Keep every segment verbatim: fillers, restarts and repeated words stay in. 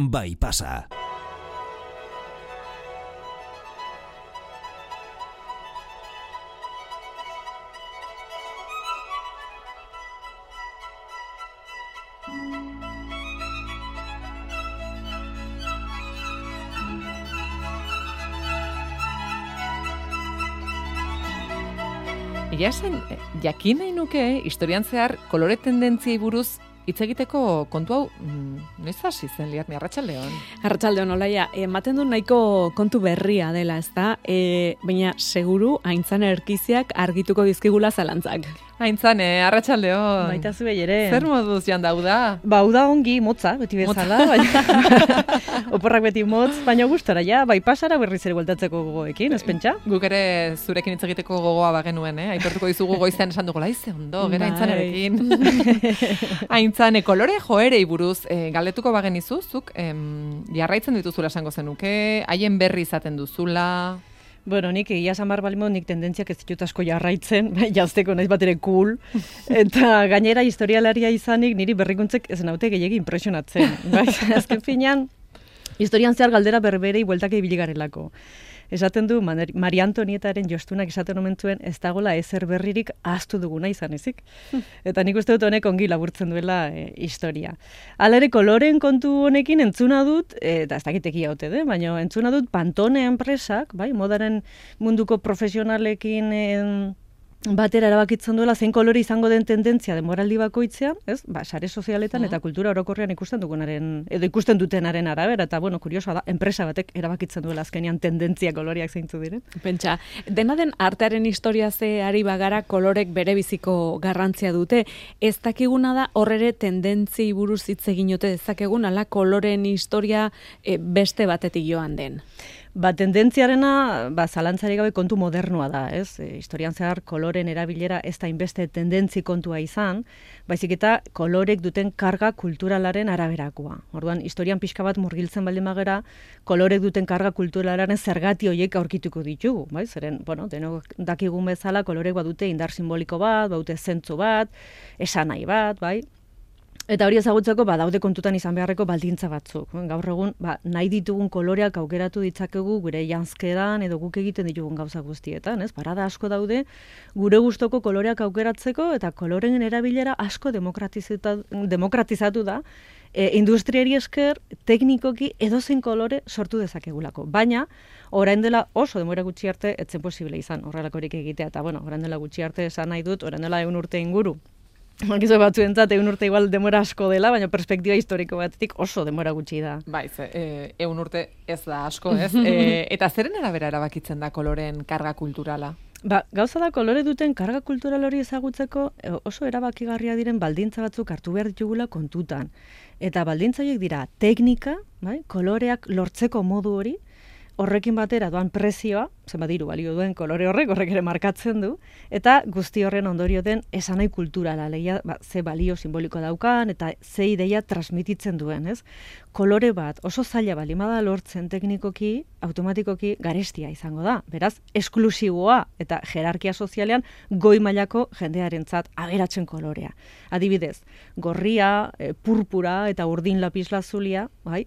bai pasa. Egia esan, jakin nahi nuke, historian zehar, kolore tendentziei buruz hitz egiteko kontu hau, mm, noiz hasi zen Liarni, Arratsaldeon? Arratsaldeon, Olaia, ematen du nahiko kontu berria dela, ezta? E, baina seguru Aintzane Erkiziak argituko dizkigula zalantzak. Aintzane, Arratsaldeon. Baita zu ere. Zer moduz jan dauda? Ba, hau da ongi, motza, beti bezala. Baina, oporrak beti motz, baina gustora ja, bai pasara berriz ere bueltatzeko gogoekin, ez pentsa? Guk ere zurekin hitz egiteko gogoa bagenuen, eh? Aitortuko dizugu goizean esan dugu, laize ondo, gera Aintzanerekin. Aintzane, kolore joerei buruz, eh, galdetuko bagenizu, zuk em, jarraitzen dituzula esango zenuke, haien berri izaten duzula... Bueno, nik egia esan behar balimo, nik tendentziak ez ditut asko jarraitzen, jazteko naiz bat ere cool, eta gainera historialaria izanik niri berrikuntzek ez naute gehiagi impresionatzen. Bai, azken finean, historian zehar galdera berberei bueltak ibili garelako. Esaten du, Maria Antonietaren jostunak esaten omentuen, ez dagoela ezer berririk ahaztu duguna izan ezik. Eta nik uste dut honek ongi laburtzen duela e, historia. Hala ere, koloren kontu honekin entzuna dut, e, eta ez dakiteki haute, de, baina entzuna dut Pantone enpresak, bai, modaren munduko profesionalekin e, batera erabakitzen duela zein kolore izango den tendentzia denboraldi bakoitzean, ez? Ba, sare sozialetan eta kultura orokorrean ikusten dugunaren edo ikusten dutenaren arabera, eta bueno, kuriosoa da, enpresa batek erabakitzen duela azkenean tendentzia koloriak zeintzu diren. Pentsa, dena den artearen historia ze ari bagara kolorek bere biziko garrantzia dute. Ez dakiguna da horrere tendentziei buruz hitz egin ote dezakegun ala koloren historia e, beste batetik joan den. Ba, tendentziarena, ba, zalantzari gabe kontu modernoa da, ez? E, historian zehar koloren erabilera ez da inbeste tendentzi kontua izan, baizik eta kolorek duten karga kulturalaren araberakoa. Orduan, historian pixka bat murgiltzen baldin bagera, kolorek duten karga kulturalaren zergati horiek aurkituko ditugu, bai? Zeren, bueno, denok dakigun bezala, kolorek badute indar simboliko bat, badute zentzu bat, esanahi bat, bai? Eta hori ezagutzeko, ba, daude kontutan izan beharreko baldintza batzuk. Gaur egun, ba, nahi ditugun koloreak aukeratu ditzakegu gure janzkeran edo guk egiten ditugun gauza guztietan, ez? Parada asko daude gure gustoko koloreak aukeratzeko eta koloren erabilera asko demokratizatu, demokratizatu da, e, industriari esker teknikoki edozein kolore sortu dezakegulako. Baina, orain dela oso denbora gutxi arte etzen posible izan horrelakorik egitea. Eta, bueno, orain dela gutxi arte esan nahi dut, orain dela egun urte inguru. Makizu batzuentzat egun urte igual demora asko dela, baina perspektiba historiko batetik oso demora gutxi da. Bai, ze, e, egun urte ez da asko, ez? e, eta zeren arabera erabakitzen da koloren karga kulturala? Ba, gauza da kolore duten karga kultural hori ezagutzeko oso erabakigarria diren baldintza batzuk hartu behar ditugula kontutan. Eta baldintza horiek dira teknika, bai? Koloreak lortzeko modu hori, horrekin batera doan prezioa, zenbat diru balio duen kolore horrek, horrek ere markatzen du, eta guzti horren ondorio den esanai kulturala, leia, ba, ze balio simboliko daukan, eta ze ideia transmititzen duen, ez? Kolore bat oso zaila balimada lortzen teknikoki, automatikoki garestia izango da. Beraz, esklusiboa eta jerarkia sozialean goi mailako jendearentzat aberatzen kolorea. Adibidez, gorria, e, purpura eta urdin lapislazulia, bai?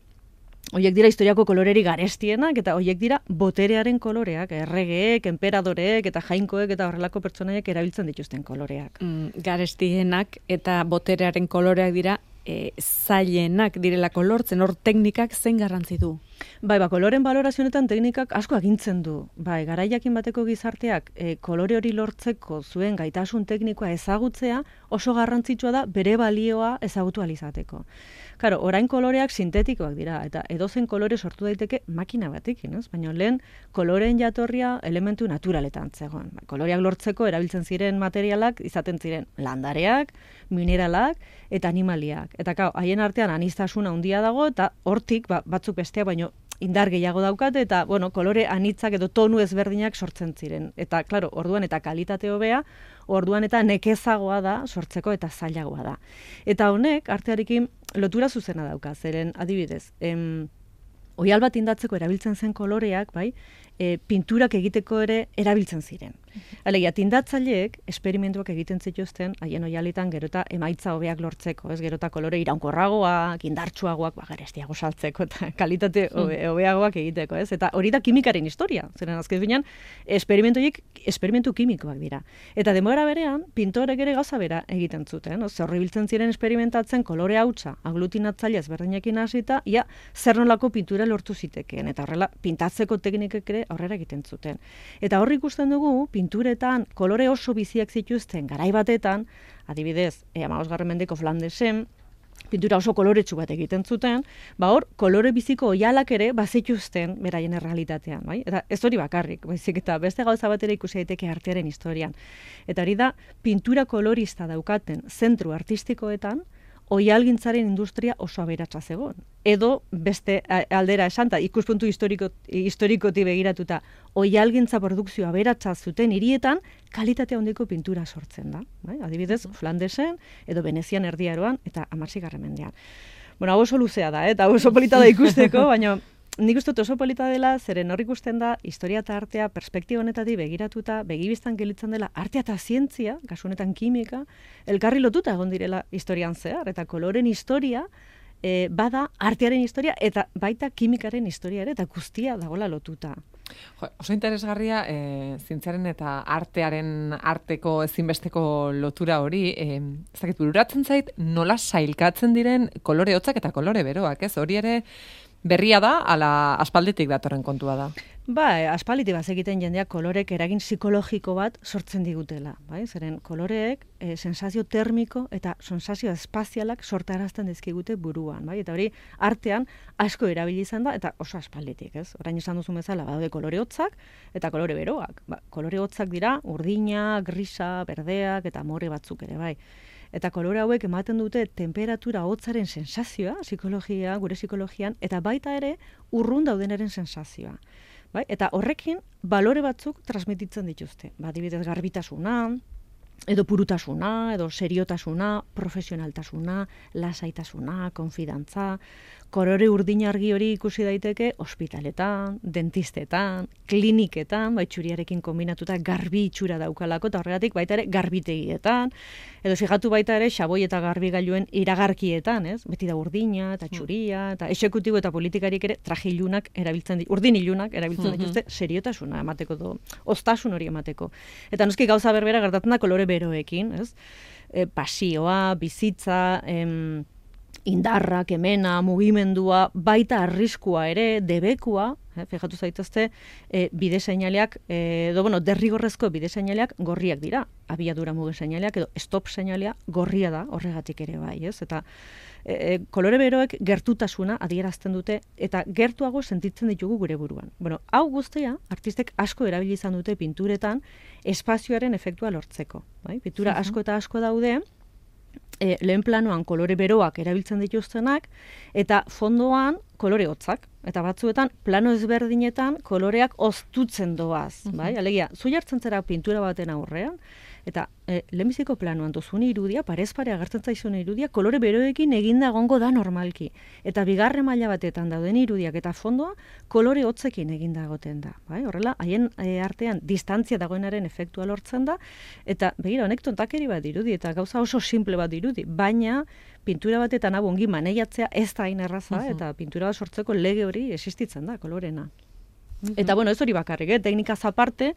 Hoiek dira historiako koloreri garestienak eta hoiek dira boterearen koloreak, erregeek, enperadoreek eta jainkoek eta horrelako pertsonaiek erabiltzen dituzten koloreak. Mm, garestienak eta boterearen koloreak dira e, zailenak direlako lortzen, hor teknikak zein garrantzi du? Bai, ba, koloren balorazionetan teknikak asko agintzen du. Bai, garaiakin bateko gizarteak e, kolore hori lortzeko zuen gaitasun teknikoa ezagutzea oso garrantzitsua da bere balioa ezagutu alizateko. Claro, orain koloreak sintetikoak dira, eta edozen kolore sortu daiteke makina batekin, ez? Baina lehen koloreen jatorria elementu naturaletan zegoen. Ba, koloreak lortzeko erabiltzen ziren materialak izaten ziren landareak, mineralak eta animaliak. Eta kau, haien artean aniztasuna handia dago, eta hortik ba, batzuk bestea baino indar gehiago daukate, eta bueno, kolore anitzak edo tonu ezberdinak sortzen ziren. Eta, klaro, orduan eta kalitate hobea, orduan eta nekezagoa da sortzeko eta zailagoa da. Eta honek, artearekin lotura zuzena dauka, zeren adibidez, em, oihal bat indatzeko erabiltzen zen koloreak, bai, e, pinturak egiteko ere erabiltzen ziren. Alegia, tindatzaileek esperimentuak egiten zituzten, haien oialitan gero eta emaitza hobeak lortzeko, ez gero eta kolore iraunkorragoak, indartsuagoak, ba, garestiago saltzeko eta kalitate hobe, hobeagoak egiteko, ez? Eta hori da kimikaren historia, zeren azken finean, esperimentuiek, esperimentu kimikoak dira. Eta denbora berean, pintorek ere gauza bera egiten zuten, ze horri biltzen ziren esperimentatzen kolore hautsa, aglutinatzaile ezberdinekin hasita, ia zer nolako pintura lortu zitekeen, eta horrela pintatzeko teknikek ere aurrera egiten zuten. Eta horri ikusten dugu, pinturetan kolore oso biziak zituzten garai batetan, adibidez, e, hamabosgarren mendeko Flandesen, pintura oso koloretsu bat egiten zuten, ba hor, kolore biziko oialak ere bazituzten beraien errealitatean, bai? Eta ez hori bakarrik, baizik eta beste gauza bat ere ikusi daiteke artearen historian. Eta hori da, pintura kolorista daukaten zentru artistikoetan, oialgintzaren industria oso aberatsa zegoen. Edo beste aldera esan, ta ikuspuntu historiko, historikoti begiratuta, oialgintza produkzioa aberatsa zuten hirietan, kalitatea handiko pintura sortzen da. Bai? Adibidez, Flandesen, edo Venezian erdiaroan, eta hamargarren mendean. Bueno, hau oso luzea da, eh? Eta hau oso polita da ikusteko, baina nik uste dut oso polita dela, zeren hor ikusten da, historia eta artea perspektiba honetatik begiratuta, begibistan gelitzen dela, artea eta zientzia, kasu honetan kimika, elkarri lotuta egon direla historian zehar, eta koloren historia, e, bada artearen historia, eta baita kimikaren historia ere, eta guztia dagoela lotuta. Jo, oso interesgarria, e, zientziaren eta artearen arteko ezinbesteko lotura hori, e, ez dakit bururatzen zait, nola sailkatzen diren kolore hotzak eta kolore beroak, ez? Hori ere, berria da, ala aspalditik datorren kontua da. Ba, aspalditik bazekiten jendeak kolorek eragin psikologiko bat sortzen digutela. Bai? Zeren koloreek e, sensazio termiko eta sensazio espazialak sortarazten dizkigute buruan. Bai? Eta hori artean asko erabili izan da, eta oso aspalditik. Ez? Orain esan duzu bezala, badaude kolore hotzak eta kolore beroak. Ba, kolore hotzak dira urdina, grisa, berdeak eta more batzuk ere. Bai? Eta kolore hauek ematen dute temperatura hotzaren sensazioa, psikologia, gure psikologian, eta baita ere urrun daudenaren sensazioa. Bai? Eta horrekin balore batzuk transmititzen dituzte. Ba, adibidez garbitasuna, edo purutasuna, edo seriotasuna, profesionaltasuna, lasaitasuna, konfidantza, kolore urdin argi hori ikusi daiteke ospitaletan, dentistetan, kliniketan, baitxuriarekin kombinatuta garbi itxura daukalako, eta horregatik baita ere garbitegietan, edo fijatu baita ere xaboi eta garbigailuen iragarkietan, ez? Beti da urdina eta txuria, eta exekutibo eta politikarik ere traje ilunak erabiltzen dituzte, urdin ilunak erabiltzen dituzte seriotasuna emateko, do, oztasun hori emateko. Eta noski gauza berbera gertatzen da kolore beroekin, ez? E, pasioa, bizitza, em, indarra, kemena, mugimendua, baita arriskua ere, debekua, eh, fijatu zaitezte, e, bide seinaleak, e, edo, bueno, derrigorrezko bide seinaleak gorriak dira, abiadura muge seinaleak, edo stop seinalea gorria da, horregatik ere bai, ez? Eta e, kolore beroek gertutasuna adierazten dute, eta gertuago sentitzen ditugu gure buruan. Bueno, hau guztia, artistek asko erabili izan dute pinturetan, espazioaren efektua lortzeko. Bai? Pintura asko eta asko daude, E, lehen planoan kolore beroak erabiltzen dituztenak, eta fondoan kolore hotzak. Eta batzuetan, plano ezberdinetan koloreak oztutzen doaz. Uh-huh. Bai? Alegia, zu jartzen zera pintura baten aurrean, eta e, lehenbiziko planoan duzun irudia, parez pare agertzen zaizun irudia, kolore beroekin eginda egongo da normalki. Eta bigarren maila batetan dauden irudiak eta fondoa, kolore hotzekin eginda egoten da. Bai? Horrela, haien e, artean distantzia dagoenaren efektua lortzen da, eta begira, honek tontakeri bat dirudi, eta gauza oso simple bat dirudi, baina pintura batetan hau ongi maneiatzea ez da hain erraza, uh-huh. eta pintura bat sortzeko lege hori existitzen da, kolorena. Uh-huh. Eta bueno, ez hori bakarrik, eh? Teknikaz aparte,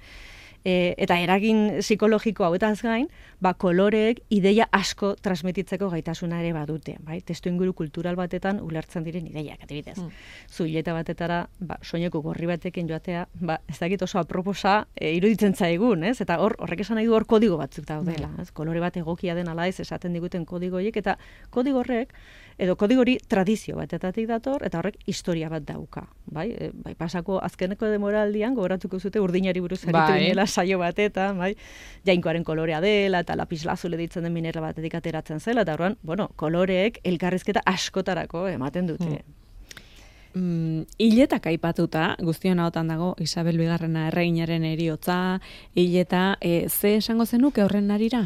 e, eta eragin psikologiko hauetaz gain, ba, koloreek ideia asko transmititzeko gaitasuna ere badute. Bai? Testu inguru kultural batetan ulertzen diren ideiak, adibidez. Mm. Zuileta batetara, ba, soineko gorri batekin joatea, ba, ez dakit oso aproposa e, iruditzen zaigun, ez? Eta hor, horrek esan nahi du hor kodigo batzuk daudela. Mm. Ez? Kolore bat egokia den ala ez esaten diguten kodigoiek, eta kodigo horrek, edo kodigo hori tradizio batetatik dator, eta horrek historia bat dauka. Bai? E, bai, pasako azkeneko demoraldian, gogoratuko zute urdinari buruz aritu ginela saio batetan, bai? Jainkoaren kolorea dela, eta lapislazule ditzen den mineral batetik ateratzen zela, eta horren, bueno, koloreek elkarrizketa askotarako ematen dute. Mm. Mm, hiletak aipatuta, guztion ahotan dago Isabel Bigarrena erreginaren heriotza, hileta, e, ze esango zenuke horren arira?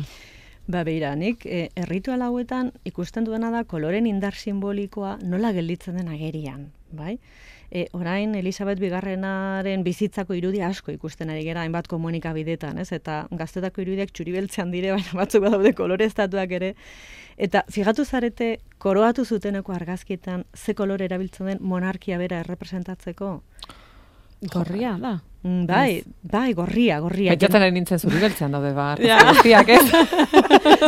Ba, beira, nik e, erritual hauetan ikusten duena da koloren indar simbolikoa nola gelditzen den agerian, bai? E, orain, Elisabet Bigarrenaren bizitzako irudia asko ikusten ari gera, hainbat komunikabidetan, ez? Eta gaztetako irudiak txuribeltzean dire, baina batzuk badaude koloreztatuak ere. Eta figatu zarete, koroatu zuteneko argazkietan, ze kolore erabiltzen den monarkia bera errepresentatzeko? Gorria, da. Mm, bai, bai, gorria, gorria. Baitatzen ari nintzen zuri beltzean daude, ba, guztiak, ez?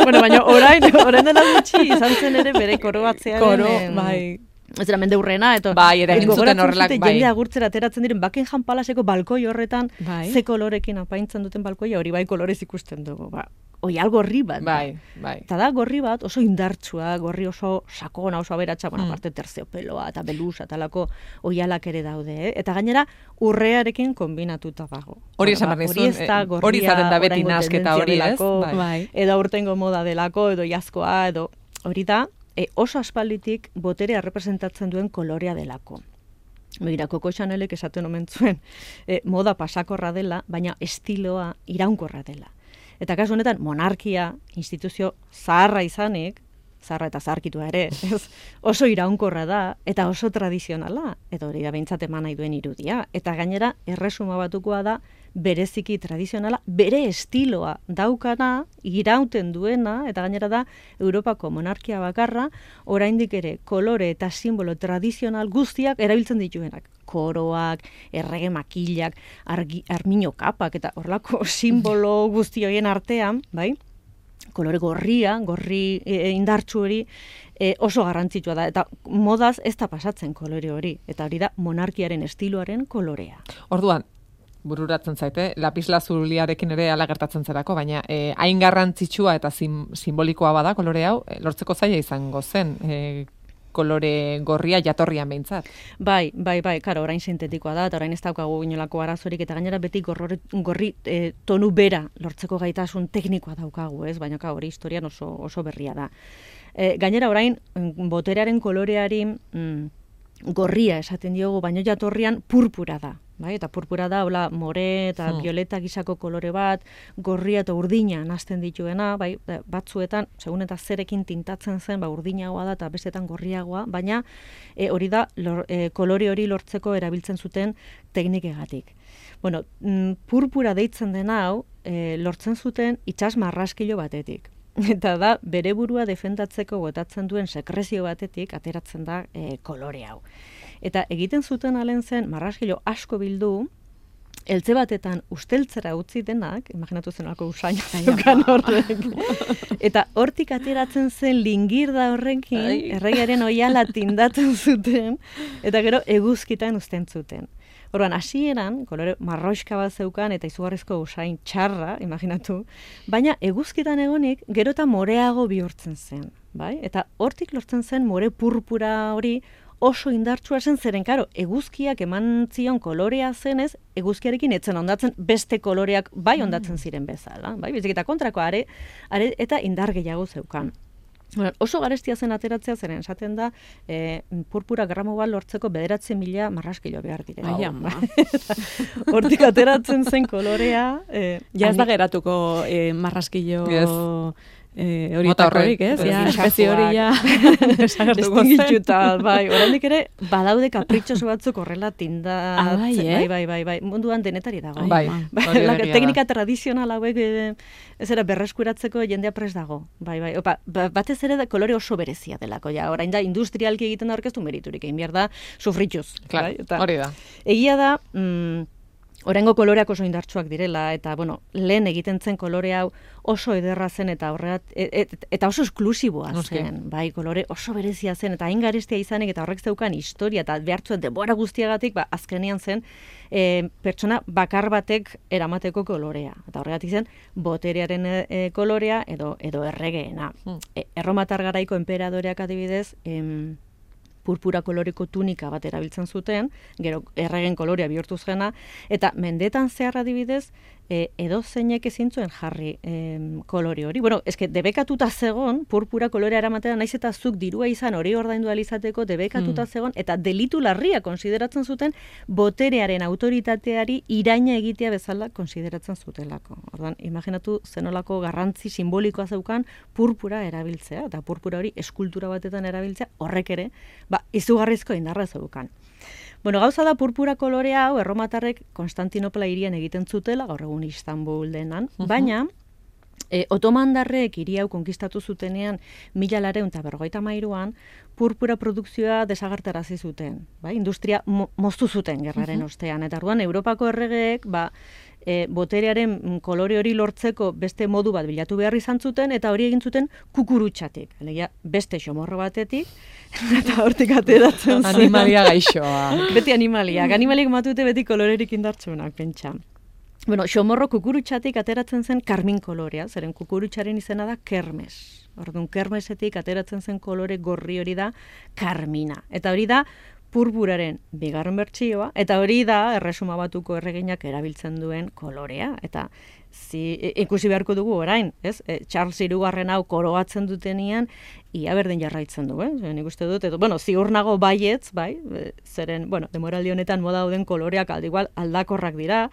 Bueno, baina orain, orain dela gutxi, izan zen ere bere koroatzearen... Koro, em, bai. Ez dira mende hurrena, eta bai, eragin zuten horrelak, bai. Jende agurtzera ateratzen diren, Buckingham Palaseko balkoi horretan, bai. Ze kolorekin apaintzen duten balkoia, hori bai kolorez ikusten dugu, ba. Oial gorri bat. Bai, bai. Eta da gorri bat oso indartsua, gorri oso sakona, oso aberatsa, bueno, Mm. aparte terciopeloa eta belusa talako oialak ere daude, eh? Eta gainera urrearekin kombinatuta dago. Hori Bueno, esan ba, behar hori ez nizun, da eh, gorria hori izaten da beti oraingo nahasketa hori, tendentzia ez? delako, Bai. Bai. edo aurtengo moda delako, edo jazkoa, edo hori da, e, oso aspalditik boterea representatzen duen kolorea delako. Begira, Coco Chanelek esaten omen zuen, e, moda pasakorra dela, baina estiloa iraunkorra dela. Eta kasu honetan, monarkia, instituzio zaharra izanik, zaharra eta zaharkitua ere, ez, oso iraunkorra da, eta oso tradizionala, eta hori da behintzat eman nahi duen irudia. Eta gainera, erresuma batukoa da, bereziki tradizionala, bere estiloa daukana, irauten duena, eta gainera da, Europako monarkia bakarra, oraindik ere kolore eta simbolo tradizional guztiak erabiltzen dituenak. Koroak, errege makilak, argi, armino kapak, eta horlako simbolo guzti horien artean, bai? Kolore gorria, gorri e, indartsu hori e, oso garrantzitsua da. Eta modaz ez da pasatzen kolore hori. Eta hori da monarkiaren estiloaren kolorea. Orduan, bururatzen zaite, lapislazuliarekin ere ala gertatzen zerako, baina eh, hain garrantzitsua eta sim, simbolikoa bada kolore hau, eh, lortzeko zaila izango zen, eh, kolore gorria jatorrian behintzat. Bai, bai, bai, karo, orain sintetikoa da, eta orain ez daukagu inolako arazorik, eta gainera beti gorri, gorri e, tonu bera lortzeko gaitasun teknikoa daukagu, ez? Baina ka, hori historian oso, oso berria da. E, gainera orain, boterearen koloreari mm, gorria esaten diogu, baino jatorrian purpura da. Bai, eta purpura da, hola, more eta hmm. violeta gisako kolore bat, gorria eta urdina nazten dituena, bai, batzuetan, segun eta zerekin tintatzen zen, ba, urdinagoa da eta bestetan gorriagoa, baina e, hori da, lor, e, kolore hori lortzeko erabiltzen zuten teknikegatik. Bueno, mm, purpura deitzen den hau, e, lortzen zuten itsas marraskilo batetik. Eta da, bere burua defendatzeko botatzen duen sekrezio batetik ateratzen da e, kolore hau. Eta egiten zuten alen zen, marraskilo asko bildu, eltze batetan usteltzera utzi denak, imaginatu zen alako usaina zeukan horrek. Eta hortik ateratzen zen lingirda horrekin, erregaren oiala tindatzen zuten, eta gero eguzkitan uzten zuten. Orduan, hasieran, kolore marroixka bat zeukan eta izugarrizko usain txarra, imaginatu, baina eguzkitan egonik gero eta moreago bihurtzen zen. Bai? Eta hortik lortzen zen more purpura hori oso indartsua zen, zeren, karo, eguzkiak eman zion kolorea zenez, eguzkiarekin etzen ondatzen beste koloreak bai ondatzen ziren bezala. Bai? Bezik eta kontrako are, are eta indar gehiago zeukan. Bueno, oso garestia zen ateratzea, zeren esaten da, e, purpura gramo bat lortzeko bederatzi mila marraskilo behar direla. Ai, ama. Hortik ateratzen zen kolorea. E, ja ez da geratuko e, marraskilo... Yes. Eh, hori horrek, ez? Ja, espezie hori ja desagertuko zen. Bai, oraindik ere badaude kapritxoso batzuk horrela tindatzen. Ah, bai, eh? bai, bai, bai, bai, munduan denetari dago. Bai, bai, la, teknika tradizional hauek e, ez era berreskuratzeko jendea prest dago. Bai, bai. Opa, batez ere da kolore oso berezia delako. Ja, orain da industrialki egiten da orkestu meriturik, egin behar da sufrituz. Claro, bai? Eta, hori da. Egia da, mm, oraingo koloreak oso indartsuak direla, eta, bueno, lehen egiten zen kolore hau oso ederra zen, eta horregat, et, et, eta oso esklusiboa zen, bai, kolore oso berezia zen, eta hain garestia izanik, eta horrek zeukan historia, eta behartzuen denbora guztiagatik, ba, azkenean zen, e, pertsona bakar batek eramateko kolorea. Eta horregatik zen, boterearen e, kolorea, edo, edo erregeena. Hmm. E, Erromatar garaiko enperadoreak adibidez, em, purpura koloreko tunika bat erabiltzen zuten, gero erregen kolorea bihurtu zena, eta mendetan zehar adibidez, e, edo zeinek ezin zuen jarri e, kolore hori. Bueno, eske debekatuta zegon, purpura kolorea eramatera, naiz eta zuk dirua izan hori ordaindu ahal izateko debekatuta zegon, eta delitu larria konsideratzen zuten boterearen autoritateari iraina egitea bezala konsideratzen zutelako. Orduan, imaginatu zenolako garrantzi simbolikoa zeukan purpura erabiltzea, eta purpura hori eskultura batetan erabiltzea, horrek ere, ba, izugarrizko indarra zeukan. Bueno, gauza da purpura kolorea hau erromatarrek Konstantinopla hirian egiten zutela, gaur egun Istanbul denan, uh-huh. baina e, otomandarrek hiri hau konkistatu zutenean mila lareun eta berrogeita hamairuan purpura produkzioa desagertarazi zuten, bai? Industria mo, moztu zuten gerraren uh-huh. ostean, eta orduan Europako erregeek ba, e, boterearen kolore hori lortzeko beste modu bat bilatu behar izan zuten, eta hori egin zuten kukurutxatik, alegia beste xomorro batetik, eta hortik ateratzen zen. Animalia gaixoa. Beti animaliak. Animaliak matute beti kolorerik indartsunak, pentsa. Bueno, xomorro kukurutxatik ateratzen zen karmin kolorea, zeren kukurutxaren izena da kermes. Orduan, kermesetik ateratzen zen kolore gorri hori da karmina. Eta hori da purpuraren bigarren bertsioa, eta hori da Erresuma Batuko erreginak erabiltzen duen kolorea. Eta zi, ikusi beharko dugu orain, ez? E, Charles hirugarren hau koroatzen dutenean, ia berdin jarraitzen du, eh? Nik uste dut, edo, bueno, ziur nago baietz, bai, zeren, bueno, demoraldi honetan moda dauden koloreak aldi igual aldakorrak dira,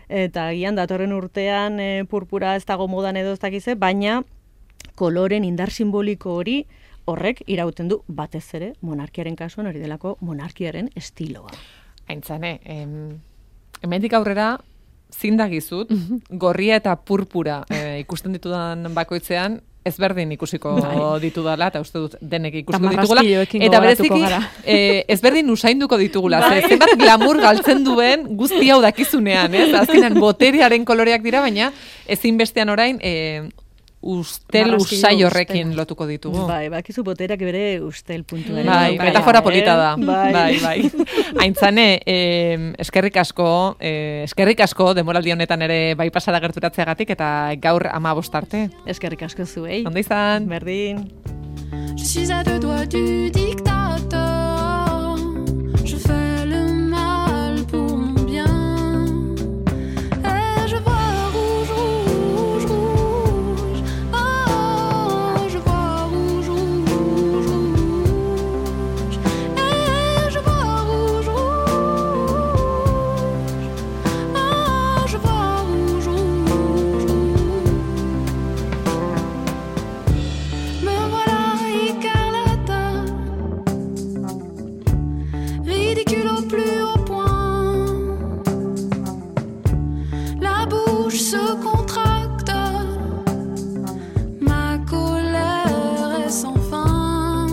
eta gian datorren urtean e, purpura ez dago modan edo ez dakize, baina koloren indar simboliko hori horrek irauten du batez ere monarkiaren kasuan hori delako monarkiaren estiloa. Aintzane, em, hemendik aurrera zindagizut, gorria eta purpura e, ikusten ditudan bakoitzean, ezberdin ikusiko bai. ditudala, eta uste dut denek ikusiko ditugula. Eta bereziki, e, ezberdin usainduko ditugula. Bai. Ze, zenbat glamour galtzen duen guzti hau dakizunean, ez? Azkenan boteriaren koloreak dira, baina ezinbestean orain e, ustel usai horrekin ustel. Lotuko ditugu. Bai, bakizu boterak bere ustel puntua. Bai, bai, metafora polita da. Bai, bai. bai. Aintzane, eh, eskerrik asko, eh, eskerrik asko demoraldi honetan ere bai pasara gerturatzeagatik eta gaur hamabost arte. Eskerrik asko zuei. Ondo izan? Berdin. Je suis à deux doigts du dictateur. Je fais le mal pour mon bien. Et je vois rouge, rouge, rouge. Oh, je vois rouge, rouge, rouge. Et je vois rouge, rouge. Oh, je vois rouge, rouge, rouge. Me voilà écarlate, ridicule au plus haut point. La bouche se contracte, ma colère est sans fin.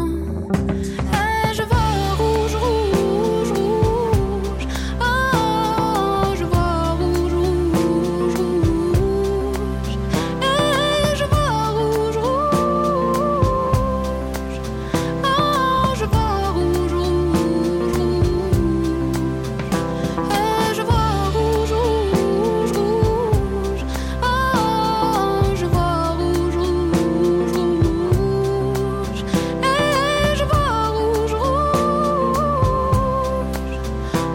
Et je vois rouge, rouge, rouge. Oh, je vois rouge, rouge, rouge. Et je vois rouge, rouge. Oh, je vois rouge, rouge, rouge. Et je vois rouge, rouge, rouge. Oh, je vois rouge, rouge, rouge. Et je vois rouge, rouge.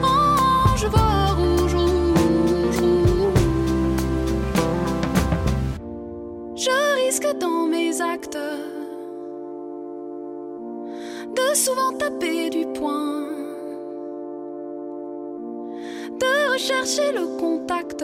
Oh, je vois rouge, rouge, rouge. Je risque dans mes actes de souvent taper du poing, de rechercher le contact